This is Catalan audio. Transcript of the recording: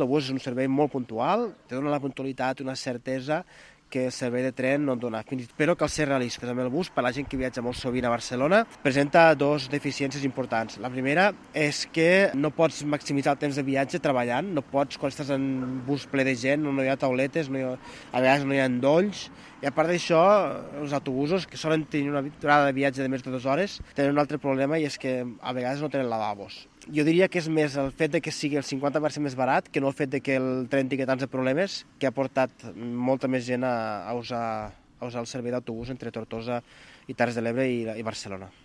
L'autobús és un servei molt puntual, te dona la puntualitat, una certesa que el servei de tren no et dona. Però cal ser realistes amb el bus. Per la gent que viatja molt sovint a Barcelona, presenta dues deficiències importants. La primera és que no pots maximitzar el temps de viatge treballant, no pots, quan estàs en bus ple de gent, no hi ha tauletes, a vegades no hi ha endolls, i a part d'això, els autobusos, que solen tenir una durada de viatge de més de 2 hores, tenen un altre problema, i és que a vegades no tenen lavabos. Jo diria que és més el fet de que sigui el 50% més barat que no el fet de que el tren tingui tants de problemes, que ha portat molta més gent a usar el servei d'autobús entre Tortosa i Terres de l'Ebre i Barcelona.